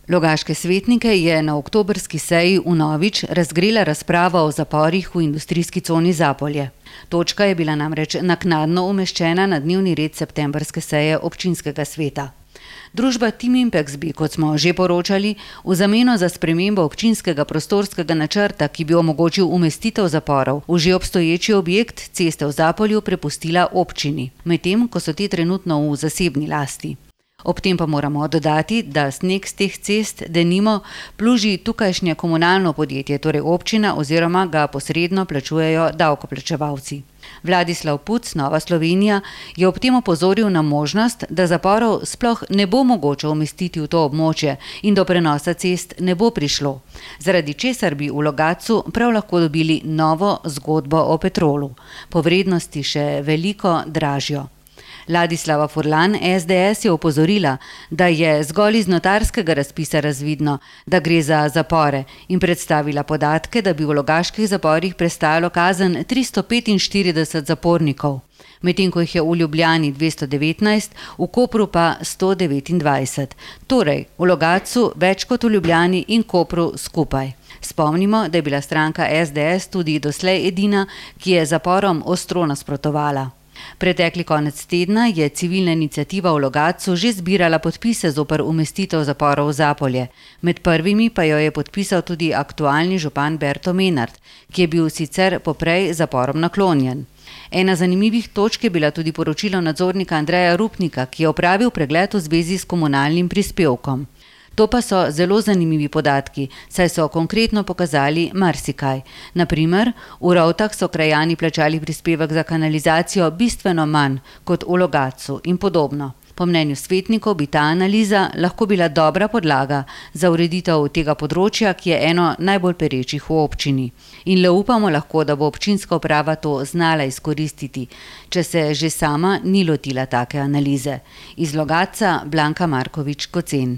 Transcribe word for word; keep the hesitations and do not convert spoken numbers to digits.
Logaške svetnike je na oktobrski seji vnovič razgrela razprava o zaporih v industrijski coni Zapolje. Točka je bila namreč naknadno umeščena na dnevni red septembrske seje občinskega sveta. Družba Tim Impex bi, kot smo že poročali, v zameno za spremembo občinskega prostorskega načrta, ki bi omogočil umestitev zaporov v že obstoječi objekt ceste v Zapolju, prepustila občini, medtem ko so te trenutno v zasebni lasti. Ob tem pa moramo dodati, da sneg z teh cest denimo pluži tukajšnje komunalno podjetje, torej občina, oziroma ga posredno plačujejo davkoplačevalci. Vladislav Puc, Nova Slovenija, je ob tem opozoril na možnost, da zaporov sploh ne bo mogoče umestiti v to območje in do prenosa cest ne bo prišlo, zaradi česar bi v Logatcu prav lahko dobili novo zgodbo o Petrolu, po vrednosti še veliko dražjo. Ladislava Furlan, es de es, je opozorila, da je zgolj iz notarskega razpisa razvidno, da gre za zapore, in predstavila podatke, da bi v logaških zaporih prestajalo kazen tristo petinštirideset zapornikov, medtem ko jih je v Ljubljani dvesto devetnajst, v Kopru pa sto devetindvajset. Torej, v Logatcu več kot v Ljubljani in Kopru skupaj. Spomnimo, da je bila stranka es de es tudi doslej edina, ki je zaporom ostro nasprotovala. Pretekli konec tedna je civilna iniciativa v Logatcu že zbirala podpise zoper umestitev zaporov v Zapolje. Med prvimi pa jo je podpisal tudi aktualni župan Berto Menart, ki je bil sicer poprej zaporom naklonjen. Ena zanimivih točk je bila tudi poročilo nadzornika Andreja Rupnika, ki je opravil pregled v zvezi s komunalnim prispevkom. To pa so zelo zanimivi podatki, saj so konkretno pokazali marsikaj. Na primer, v Rovtah so krajani plačali prispevek za kanalizacijo bistveno manj kot v Logatcu in podobno. Po mnenju svetnikov bi ta analiza lahko bila dobra podlaga za ureditev tega področja, ki je eno najbolj perečih v občini. In le upamo lahko, da bo občinska uprava to znala izkoristiti, če se že sama ni lotila take analize. Iz Logatca Blanka Markovič Kocen.